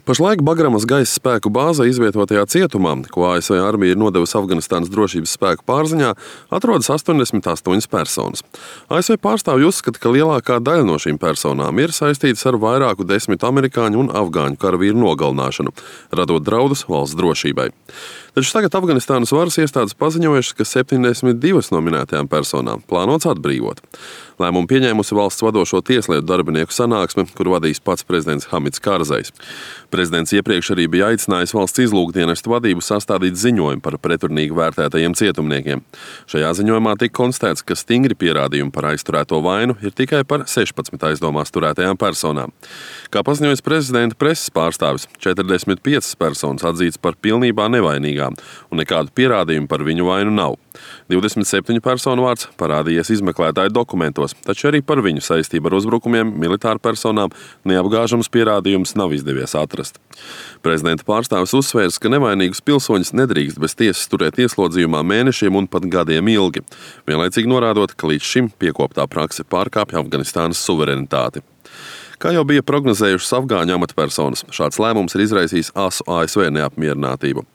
Pašlaik Bagramas gaisa spēku bāzē izvietotajā cietumā, ko ASV armija ir nodevusi Afganistānas drošības spēku pārziņā, atrodas 88 personas. ASV pārstāvji uzskata, ka lielākā daļa no šīm personām ir saistītas ar vairāku desmit amerikāņu un afgāņu karavīru nogalināšanu, radot draudus valsts drošībai. Taču tagad Afganistānas varas iestādes paziņojušas, ka 72 no minētajām personām plānots atbrīvot. Lēmumu pieņēmusi valsts vadošo tieslietu darbinieku sanāksme, kuru vadīs pats prezidents Hamids Karzais. Prezidents iepriekš arī bija aicinājis valsts izlūkdienestu vadību sastādīt ziņojumu par pretrunīgi vērtētajiem cietumniekiem. Šajā ziņojumā tika konstatēts, ka stingri pierādījumi par aizturēto vainu ir tikai par 16 aizdomās turētajām personām. Kā paziņojas prezidenta preses pārstāvis, 45 personas atzītas par pilnībā nevainīgām, un nekādu pierādījumu par viņu vainu nav. 27 personu vārds parādījies izmeklētāju dokumentos, taču arī par viņu saistību ar uzbrukumiem militāru personām neapgāžams pierādījums nav izdevies atrast. Prezidenta pārstāvis uzsvērs, ka nevainīgus pilsoņus nedrīkst bez tiesas turēt ieslodzījumā mēnešiem un pat gadiem ilgi, vienlaicīgi norādot, ka līdz šim piekoptā prakse pārkāpja Afganistānas suverenitāti. Kā jau bija prognozējušas afgāņu amatpersonas, šāds lēmums ir izraisījis asu ASV neapmierinātību.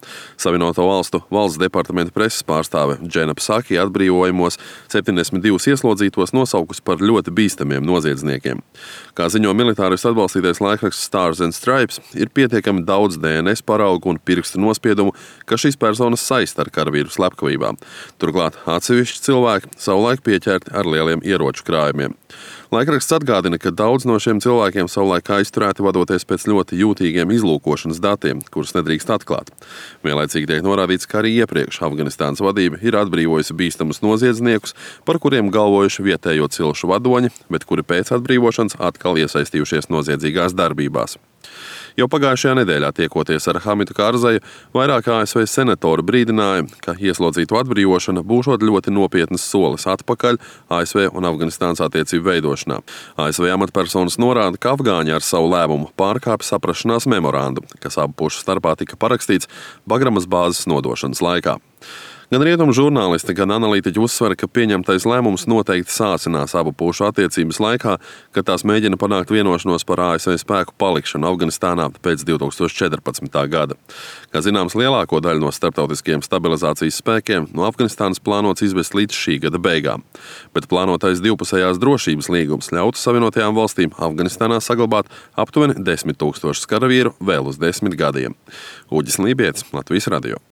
Savienoto valstu valsts departamenta preses pārstāve Džena Psaki atbrīvojumos 72 ieslodzītos nosaukus par ļoti bīstamiem noziedzniekiem. Kā ziņo militāristu atbalstītais laikraksts Stars and Stripes, ir pietiekami daudz DNS paraugu un pirkstu nospiedumu, ka šīs personas saista ar karavīru slepkavībām. Turklāt atsevišķi cilvēki savulaik pieķerti ar lieliem ieroču krājumiem. Laikraksts atgādina, ka daudz no šiem cilvēkiem savulaik aizturēti vadoties pēc ļoti jūtīgiem izlūkošanas datiem, kurus nedrīkst atklāt. Vienlaicīgi tiek norādīts, ka arī iepriekš Afganistānas vadība ir atbrīvojusi bīstamus noziedzniekus, par kuriem galvojuši vietējo cilšu vadoņi, bet kuri pēc atbrīvošanas atkal iesaistījušies noziedzīgās darbībās. Jau pagājušajā nedēļā tiekoties ar Hamidu Karzaju, vairāk ASV senatori brīdināja, ka ieslodzītu atbrīvošana būšot ļoti nopietnas solis atpakaļ ASV un Afganistānas attiecību veidošanā. ASV amatpersonas norāda, ka afgāņi ar savu lēmumu pārkāpj saprašanās memorandu, kas abu pušu starpā tika parakstīts Bagramas bāzes nodošanas laikā. Gan rietumu žurnālisti, gan analītiķi uzsver, ka pieņemtais lēmums noteikti sācinās abu pušu attiecības laikā, kad tās mēģina panākt vienošanos par ASV spēku palikšanu Afganistānā pēc 2014. gada. Kā zināms, lielāko daļu no starptautiskajiem stabilizācijas spēkiem no Afganistānas plānots izvest līdz šī gada beigām, bet plānotais divpusējās drošības līgums ļautu Savienotajām valstīm Afganistānā saglabāt aptuveni 10 000 karavīru vēl uz 10 gadiem. Uģis Lībietis, Latvijas radio.